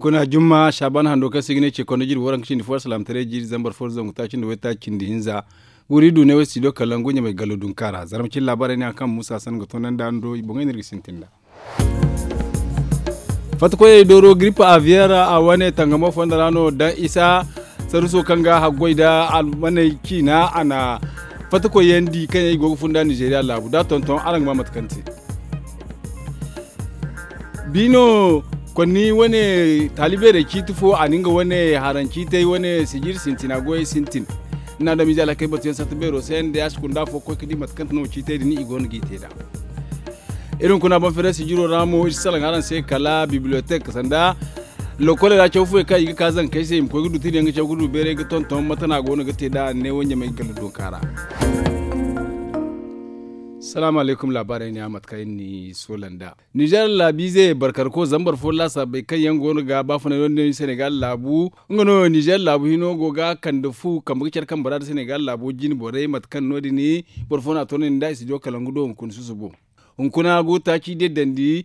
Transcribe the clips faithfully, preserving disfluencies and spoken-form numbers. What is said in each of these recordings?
Kuna jumma saban hando kaŋ se i ga ne ce kondo jiri waranka cindi fo alsalaamataray jiiri zambar fo zangu taaci nda waytaaci cindi hinza. Wuri du ne way studio kalangu ɲamay gallo dunka ra zarma cine laabaarey ne a kaŋ muusa san ga toonandi a ni do i boŋey no iri ga sintin nd'a. Fattakoyey dooro giripa aviyeer a wane tangamo fondo ra no daŋ isa saruso kaŋ ga haggoy nda almaney ciina a na fattakoyyaŋ di kaŋ yaŋ i go ga funda nizeeriya laabu da a tonton araŋ ga ma mate kaŋ te. Biino konni wane taali beerey ciiti fo a na nga wane haraŋ ciitey wane sijir sintina goyey sintin. Ni na adamize alhakey batuyaŋ sarta beero se nda ya si kunda afo ga koy ga di mate kaŋ te no ciitey din i go no g'i te nd'a. Iri hunkuna boŋ feeray sijiro ra mo iri si salaŋ araŋ se kala bibliyotek sanda lokoley ra caw fooyaŋ kaŋ i ga ka zankey se i ma koy ga du tiriyaŋ ga caw ga du beeray ga tonton mate no a go no ga te nd'a neewo ɲamay galla dunka ra. Salaamu alaykum laabaarey ne a mate kaŋ iri n'i soola nd'a. Nizer laabiize barkarko zambar fo laasaabey kaŋ yaŋ go no ga baafunay no- din senegal laabu nga no nizer laabu hino go ga kande fu kambe ga care kambe ra nda senegal laabo jine borey mate kaŋ no- din boro fo no a toonandi nd'a i si diyo kala nga do hunkuna susubo. Hunkuna go taaci deedandi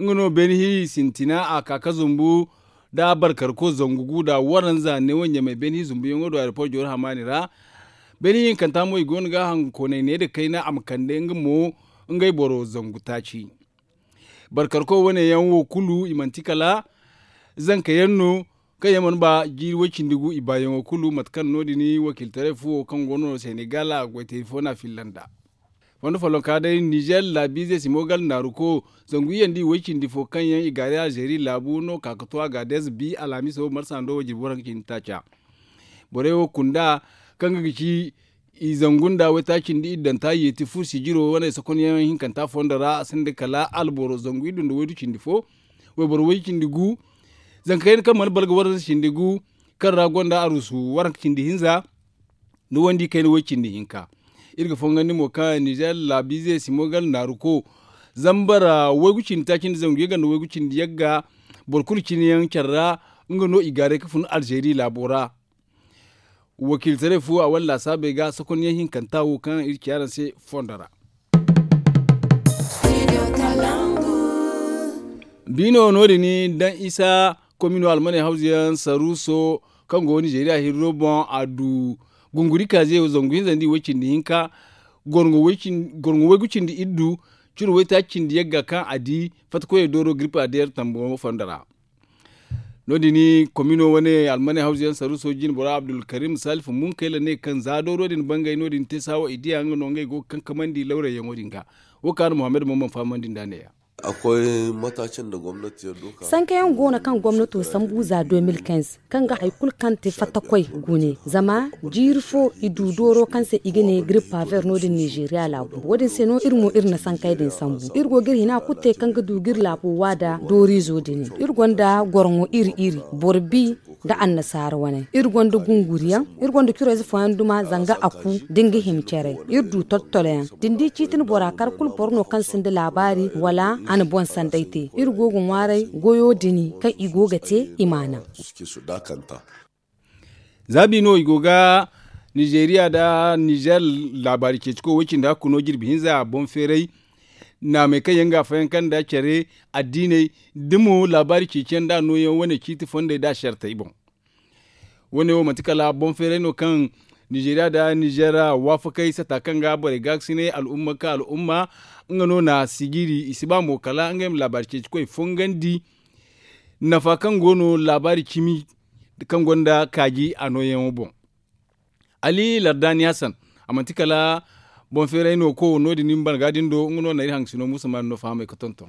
nga no beene hi sintina a ka ga zumbu nda barkarko zangu gu nda waranza neewo ɲamay beene hi zumbuyaŋo do aeroport jooro hamaani ra. Beene hinkanta mo i go no ga hankoonay ne nda kayna a ma kande nga mo ngey boro zangu taaci. Barkarko wane yaŋ wo kulu i manti kala zanka yaŋ no kaŋ yaŋ mana ba jiiri way-cindi gu i baayaŋo kulu mate kaŋ no- din wakiiltaray fuwo kaŋ go no senegal a goytay fo no a filla nd'a. Fondo follonka day nizer laabiize simogal naaruko zangu iyye nda i way-cindi fo kaŋ yaŋ i gaari alzeeri laabu no ka ga to a ga deeza bi alhamiso marsa ndo wo jirbi waranka cindi taaca. Borey wo kunda kaŋ ga ga ci i zangu nda waytaaci nda iddanta yeeti fu sijiro wane sokonyaŋ hinkanta fondo ra a sinda kala alboro zangu iddu nda waydu cindi fo wayboro way-cindi gu. Zanka kayna kaŋ mana balga waranza cindi gu kaŋ ra gonda arusu waranka cindi hinza nda wandi kayna way-cindi hinka. Iri ga fongandi mo kaŋ nizer laabiize simogal naaruko zambara waygu cindi taaci nda zangu yagga nda waygu cindi yagga boro kulu cine yaŋ care ra nga no i gaaray ga fun alzeeri laabo ra. Wakiiltaray fu a wane laasaabey ga sokonyaŋ hinkanta wo kaŋ iri ci araŋ se fondo ra. Biino no- din daŋ isa komino almaney hawzu yaŋ saruuso kaŋ go nizeeriya hirro boŋ a du gunguri kaaze zangu hinza nda i way-cindi hinka gorŋo waygu cindi iddu curo waytaaci cindi yagga kaŋ a di fattakoyey dooro giripa deer tambo fondo ra. No- din komino wane almaney hawzu yaŋ saruuso jine bora abdulkarim salifu munkayla ne kaŋ za dooro din bangay no- din te saawa i diya nga no ngey go ga kankamandi lawrayyaŋo din ga. Wo kaŋ a na muhammad mamman fahamandi nd'a neeya. Sankayaŋ go no kaŋ gomnato sambu za deux mille quinze kaŋ ga hari kulu kaŋ te fattakoy gune zama jiiri fo i du dooro kaŋ se i ga ne giripa ver no- din nizeeriya laabu wo- din se no iri mo iri na sankay din sambu iri go ga iri hina kulu te kaŋ ga du ga iri laabo waada dooriizo din iri gonda gorŋo iri iri boro bi nda annasaara wane iri gonda gunguriyaŋ iri gonda curayze fooyaŋ duma zanga a ku da ni ga hima care iri du toltoloyaŋ da ni di ciiti ni bora kar kulu boro no kaŋ sinda laabaari wala a na boŋ sanday te iri go ga ŋwaaray goyo din kaŋ i go ga te i ma a naŋ. Za bi no i go ga nizeeriya nda nizer laabaari ceecikoy way-cindi hakku no jirbi hinza boŋ feeray naamey kaŋ yaŋ ga a fayanka nda care addiiney da mo laabaari ceeciyaŋ nda a nooyaŋ wane ciiti fondey nda a sartey boŋ. Wane wo manti kala boŋ feeray no kaŋ nizeeriya nda nizer waafakey sata kaŋ ga borey gaakasinay al'umma ka al'umma nga no na sijiri i si ba mo kala ngey ma laabaari ceecikoy fongandi nafa kaŋ go no laabaari cimi kaŋ gonda kaaji a nooyaŋo boŋ. Ali lardaani hasan a manti kala boŋ feeray no ko no- din ni ma ban ga din do nga no na iri hangasino muusa maani no fahamay ga tonton.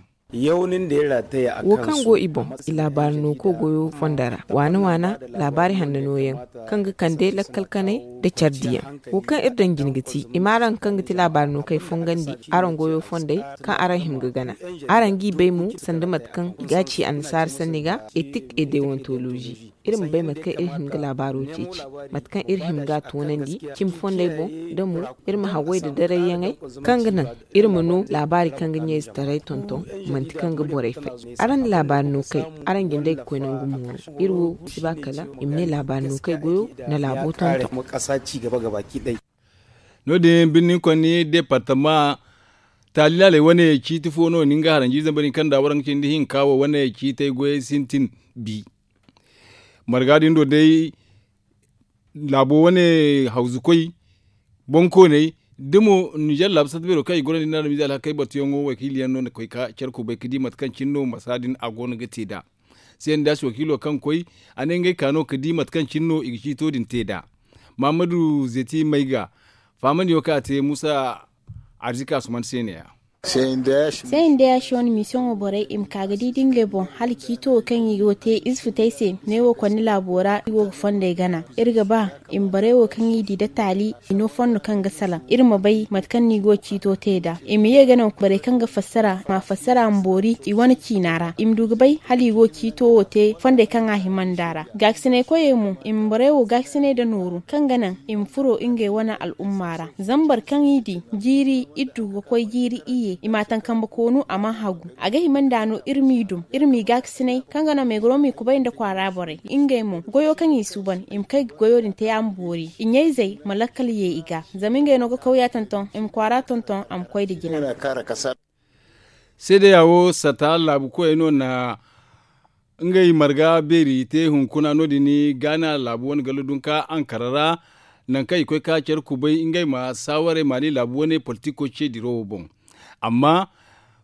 Wo kaŋ go i boŋ i laabaari no ko goyo fondo ra waana waana laabaari hanna nooyaŋ kaŋ ga kande lakkal kanay nda care diyaŋ. Wo kaŋ iri daŋ jine ga ti i ma araŋ kaŋ ga ti laabaari no kay fongandi araŋ goyo fondey kaŋ araŋ hima ga gana araŋ g'i bay mo sanda mate kaŋ i ga a ci annasaara sanni ga etik e dewontolozi iri ma bay mate kaŋ iri hima ga laabaaro ceeci mate kaŋ iri hima ga a toonandi cimi fondey boŋ da mo iri ma hawway nda darayyaŋey kaŋ ga naŋ iri ma no laabaari kaŋ ga ɲayzetaray tonton manti kaŋ ga borey fay. Araŋ na laabaari no kay araŋ jindey ga koy nangu mooru iri wo si ba kala i ma ne laabaari no kay goyo na laabo tonton. No- din birni konni departama taali laaley wane ciiti fo no ni nga haranji zambarin kaŋ da waraŋ cindi hinka wo wane ciitey goyey sintin bi. Marga din do day laabo wane hawzukoy, bonkooney da mo ninzeer laabu satta beero kaŋ i goro nda i na almiiza alhakey batuyaŋo wakiiliyaŋ no na koy ka care kubay ka di mate kaŋ cine no masa din a go no ga te nd'a. Seendaasi wakiilo kaŋ koy, a ne ngey ka no ka di mate kaŋ cine no i ga ciito din te nd'a. Mahammadu zeti mayga fahamandiyaŋo kaŋ a te muusa arzika asuman se ne ya. Seendaasi wane misiyoŋo borey i ma ka ga di da ngey boŋ hala ciito wo kaŋ i go te ize futey se neewo konni laabo ra i go ga fondey gana. Iri ga ba i ma borey wo kaŋ i di nda taali i no fondo kaŋ ga salaŋ iri ma bay mate kaŋ no i go ga ciito te nd'a. I ma ye ga naŋ borey kaŋ ga fassara ma a fassara ma boori i wane ciina ra i ma du ga bay hala i go ga ciito wo te fondey kaŋ a hima nd'a ra. Gaakasinay koyey mo i ma borey wo gaakasinay nda nooru kaŋ ga naŋ i ma furo ngey wane al'umma ra. Zama boro kaŋ i di jiiri iri du ga koy jiiri iyye i m'a taŋ kambe koonu a mana hagu. A ga hima nd'a no iri m'i dum iri m'i gaakasinay kaŋ ga naŋ meegaro m'i kubay nda kwaara borey ngey mo goyo kaŋ i suuban i ma kay ga goyo din te a ma boori i ɲayzey ma lakkal ye i ga zama ngey no ga kawya tonton i ma kwaara tonton a ma koy nda jina. Seedeya wo sata laabu koyey no na ngey marga beeri te hunkuna no- din gaana laabu wane gallo dunka ankara ra. Nangu kaŋ i koy ka care kubay ngey ma saawarey maali laabu wane politiko ce diro wo boŋ. Amma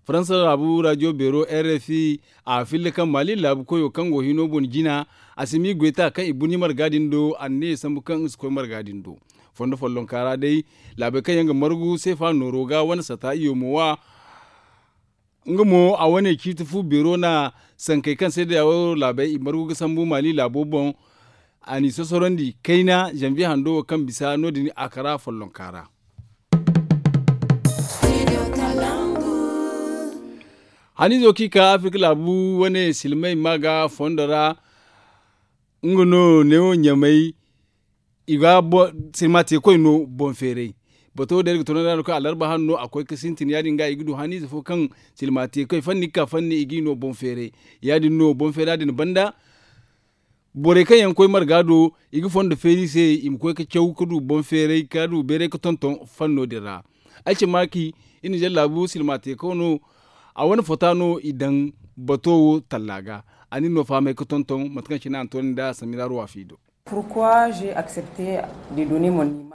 faransa laabu rajo beero r f i a filla kaŋ maali laabu koyo kaŋ go hino boŋ jina a si m'i goy ta kaŋ i burɲi marga din do a na ne sambu kaŋ nga si koy marga din do. Fondo follonka ra day laabey kaŋ yaŋ ga margu seefa nooro ga wane sata iyo mo wa. Nga mo a wane ciiti fu beero na sankey kaŋ se day a wo laabey i margu ga sambu maali laabo boŋ. A n'i sosorandi kayna zanviye hando wo kaŋ bisa no- din a kara follonka ra. Haniizo kaŋ i ka afirka laabu wane silmey ma ga fondo ra. Nga no neewo ɲamay i ga silma te koy no boŋ feeray. Bato wo day iri ga tunandi a no kaŋ alarba hano no a koy ga sintin ya- din ga i ga du haniize fo kaŋ silma te koy fanni ga ka fanni i g'i no boŋ feeray. Ya- din no boŋ feera din banda borey kaŋ yaŋ ga koy marga do i ga fondo feeri i se i ma koy ga caw ga du boŋ feeray ga du beeray ga tonton fanno din ra. Ay cimmaaki iri na zallaabu silma te kaw no a wane fota no i daŋ bato wo talla ga. A na iri no fahamay ga tonton mate kaŋ cine a na toonandi a samira ruwa fi do.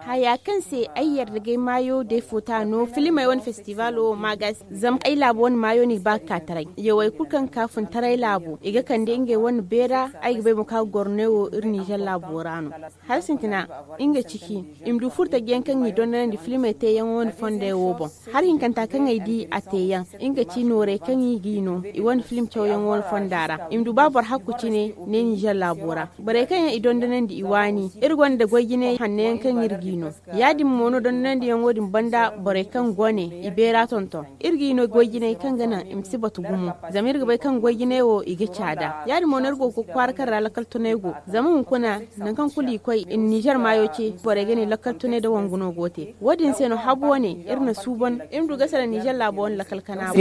Haya kaŋ se ay yarda ga ay maayo day fota no filimey wane festibalo wo ma ga se zama ay laabo wane maayo no i ba ga ka taray yawey kulu kaŋ ga ka funtaray laabo i ga kande ngey wane beera. Ay ga bay mo kaŋ a ga goro ne wo iri nizer laabo ra no. Hala sintina nga ciki i ma du furtaji yaŋ kaŋ i dondonandi filimey teeyaŋo wane fondey wo boŋ. Hari hinkanta kaŋ ay di a teeyaŋ nga ci noorey kaŋ i g'i no i wane filim cawyaŋo wane fonda ra i ma du ba boro hakku cine ne ninzer laabo ra. Borey kaŋ yaŋ i dondonandi i waani iri gonda goy jinay hanno yaŋ kaŋ iri g'i no. Ya- din mo no dondonandiyaŋo din banda borey kaŋ go ne i beera tonton iri g'i no goy jinay kaŋ ga naŋ i ma si batu gumo. Zama iri ga bay kaŋ goy jinay wo i ga caada ya- din mo no iri go ga kwaara kaŋ ra lakkal tunay go. Zama hunkuna nangu kaŋ kulu i koy i na nizer maayo ce borey ga ne lakkal tunay nda wangu no go ga te. Wo- din se no habu wane iri na suuban iri ma du ga salaŋ nizer laabo wane lakkal kana.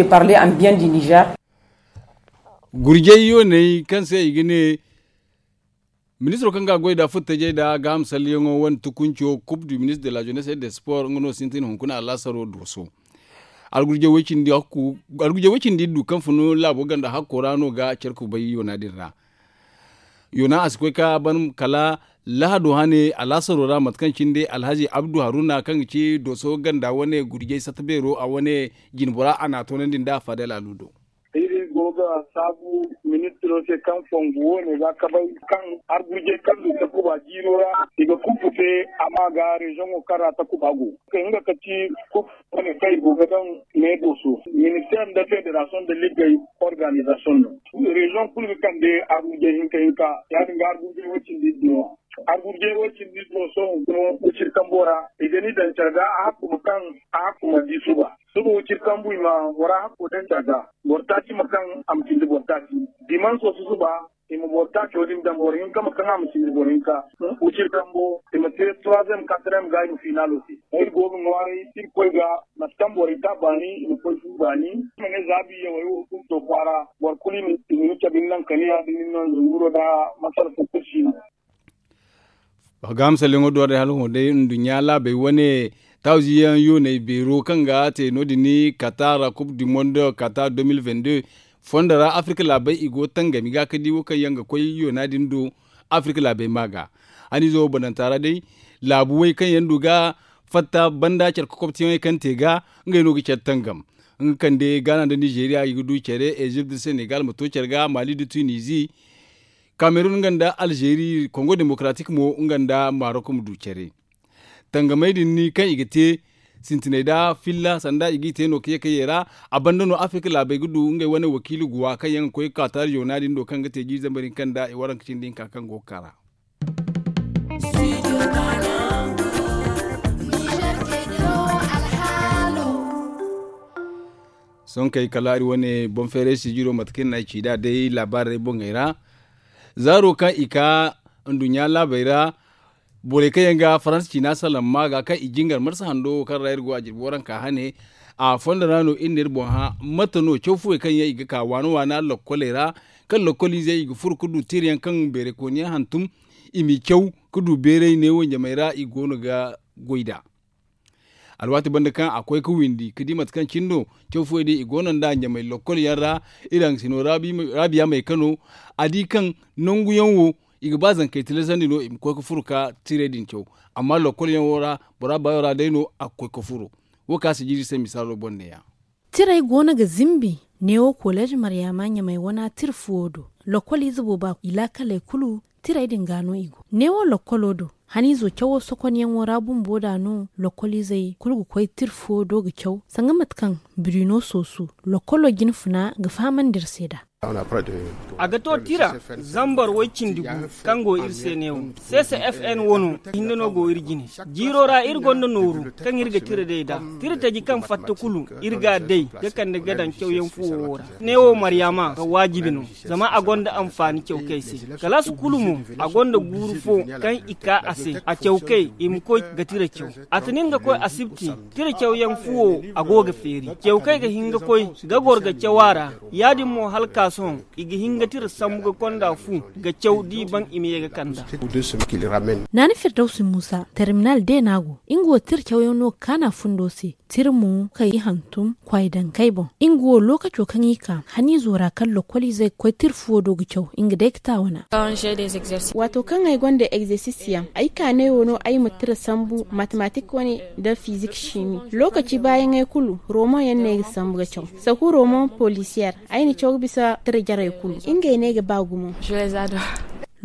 Gurjay yooney kaŋ se i ga ne ministiro kaŋ ga a goy nd'a furtajey nd'a gaaham salleyaŋo wane tukunco coupe du ministre de la jeunesse et de sport nga no sintin hunkuna alaasaro dooso. Algurjay way cindi iri du kaŋ fun laabo ganda hakko ra no ga care kubay yoona din ra. Yoona a si koy ka ban kala lahado hane alaasaro ra mate kaŋ cine day alhazi abdu haruna kaŋ ga ci dooso ganda wane gurjay satta beero a wane jinbora a n'a toonandi nd'a faadel alu do. Iri go ga saabu ministiro se kaŋ fongu wo ne ga kabay kaŋ argurjey kaŋ du takuba jiiro ra i ga kuufu te. Amma ga rezoŋo kaŋ ra takuba go nga ka ci kuufu wane kaŋ i go ga daŋ meedo so minister nda federasiyoŋ nda liggey organizasiyoŋ no. Rezoŋ kulu ga kande argurjey hinka hinka ya- din ga argurjey wo cindi iddu no. Argurjey wo cindi iddu no sohõ hunkuna wo ciri kambo ra i ga ni daŋ care ga a hakku ma kaŋ a hakku ma di suba. Suba wo ciri kambu i ma bora hakko daŋ care ga boro taaci ma kaŋ a ma cindi boro taaci. Dimanso susuba i ma boro taaco din daŋ boro hinka ma kaŋ a ma cindi boro hinka. Wo ciri kambo i ma te troisième quatrième ga i ma finalo te. Iri go ga ŋwaaray iri koy ga mate kaŋ borey ka baani i ma koy fu baani. I ma ne za biya wo kulu to kwaara boro kulu i ma ni cabe ni naŋ kaniya da ni naŋ zunguro da masala fo kulu si no. Ga misalyaŋo do day hala hõ day nduɲɲa laabey wane tawziyaŋ yooney beero kaŋ ga te no- din katar coupe du monde katar deux mille vingt-deux fondo ra afirka laabey i go tangami ga ka di wo kaŋ yaŋ ga koy yoona din do. Afirka laabey ma ga haniizo wo bananta ra day laabu way kaŋ yaŋ du ga fatta banda care kokobtiyaŋey kaŋ te ga ngey no ga care tangam. Nga kande gaana nda nizeeriya i ga du care ezipt nda senegal ma to care ga mali nda tunizi, kamerun nga nda alzeeri kongo demokaratik mo nga nda marok ma du care. Tangamey din ni kaŋ i ga te sintiney da filla sanda i g'i te no ka ye ka ye ra. A banda no afirka laabey ga du ngey wane wakiili guwa kaŋ yaŋ ga koy ga ka taari zoona din do kaŋ ga te jiiri zambar hinka nda i waranka cindi hinka kaŋ go ga ka ra. Sohõ kay kala ari wane boŋ feeray sijiro mate kaŋ iri na ay ci nd'a day laabaarey boŋey ra. Zaaro kaŋ i ka nduɲɲa laabey ra borey kaŋ yaŋ ga faransa ciina salaŋ ma ga kaŋ i jingar marsa hando wo kaŋ ra iri go a jirbi waranka hane. A fondo ra no iri na iri boŋ hã mate no caw fuwey kaŋ yaŋ i ga ka waana waana lokkoley ra kaŋ lokkol izey i ga furo ga du tirayaŋ kaŋ beeraykooniyaŋ hantum i m'i caw ga du beeray neewo ɲamey ra i goono ga goy nd'a. Alwaati banda kaŋ a koy ga windi ga di mate kaŋ cine no caw fuwey din i goono nd'a ɲamey lokkol yaŋ ra. Iri haŋ si no raabiya may kano a di kaŋ nangu yaŋ wo i ga ba zankey tilasandi no i ma koy ga furo ga tirey din caw. Amma lokkol yaŋ wo ra bora baayo ra day no a ga koy ga furo. Wo kaŋ a si jiiri se misaalo boŋ ne- ya. Tirey goono ga zimbi neewo koleez maryaama ɲamey wana tira fuwo do. Lokkol ize booba i laakaley kulu tirey din ga no i go neewo lokkolo do. Haniizo cawo sokonyaŋo ra bumbo nd'a no lokkol izey kulu ga koy tira fuwo do ga caw sanga mate kaŋ birino soosu lokkolo jinfuna ga fahamandi iri se nd'a. A ga to tira zambar way-cindi gu kaŋ go iri se neewo. Seese f n wo no hinne no go iri jine. Jiiro ra iri gonda nooru kaŋ iri ga tira day nd'a. Tira taji kaŋ fatta kulu iri ga a day ga kande ga daŋ cawyaŋ fuwo wo ra. Neewo maryaama ga waajibi no zama a gonda anfaani cawkey se. Kalaasi kulu mo a gonda guuru fo kaŋ i ka a se a cawkey i ma koy ga tira caw. A tinin ga koy asibti tira cawyaŋ fuwo a go ga feeri. Cawkey ga hin ga koy ga goro ga caw a ra. Ya-din mo hala ka sohõ i ga hin ga tira sambu ga konda fu ga caw da i baŋ i ma ye ga kand'a. Naani firdawsi muusa terminal deena go nga wo tira cawyaŋ no ga kaana fundo se. Tira mo kay i hantum kwaay dankey boŋ nga wo lookaco kaŋ i ka haniizo ra kaŋ lokkol izey ga koy tira fuwo do ga caw nga day ga taawana. Waato kaŋ ay gonda egzersis yaŋ ay ka neewo no ay ma tira sambu matematik wane nda fizik simi lookaci baayaŋey kulu roman yaŋ no ay ga sambu ga caw. Saku roman polisiyer ay na caw ga bisa tira jarey kulu ngey no ay ga ba gumo.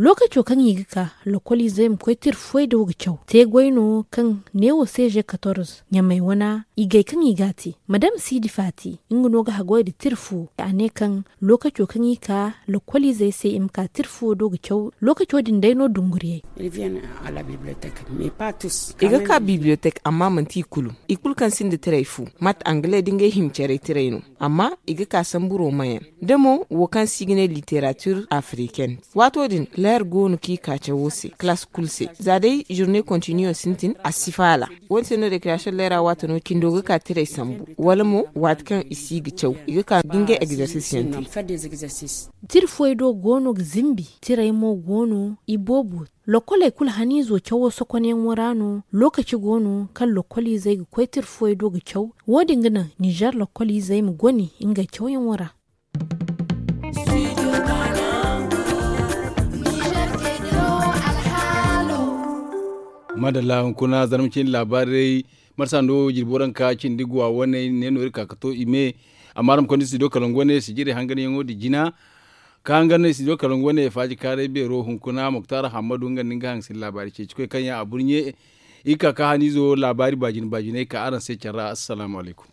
Lookaco kaŋ i ga ka lokkol izey ma koy tira fuwey do ga caw te goy no kaŋ neewo seeze katorze ɲamey wana i gay kaŋ i ga a te. Madam siidi faati nga no ga haggoy nda tira fuwo a ne kaŋ lookaco kaŋ i ka lokkol izey se i ma ka tira fuwo do ga caw lookaco din day no dunguriyey. I ga ka bibliyotek amma manti i kulu. I kulu kaŋ sinda tiray fu mate angale da ngey hima caray tiray no. Amma i ga ka sambu romayaŋ da mo wo kaŋ se i ga ne literature africaine. Waato din leer go no kaŋ i ka cawo se kalaasi kulu se za day journée continue sintin a si faala. Wo- din se no recreation leera waato no cindo ga ka tiray sambu wala mo waati kaŋ i si ga caw i ga ka ga ngey exercice yaŋ te. Tira fuwey do go no ga zimbi tiray mo go no i boobo. Lokkoley kulu haniizo cawo sokonyaŋo ra no lookaci go no kaŋ lokkol izey ga koy tira fuwey do ga caw. Wo- din ga naŋ nizer lokkol izey ma goni ngey cawyaŋo ra. Madalla hunkuna zarma cindi laabaarey marsa nda wo jirbi waranka cindi guwa wane ne no iri ka ga to i me. Amma araŋ ma konda studio kalangu wane sijirey hanganyaŋo din jina ka hangan studio kalangu wane faaji kaaray beero hunkuna muktar hammadu nga nda nga hangasina laabaari ceeci koy kaŋ yaŋ a burɲe. Iri ka ka haniizo laabaari baajine baajiney ka araŋ se care ra assalaamu alaykum.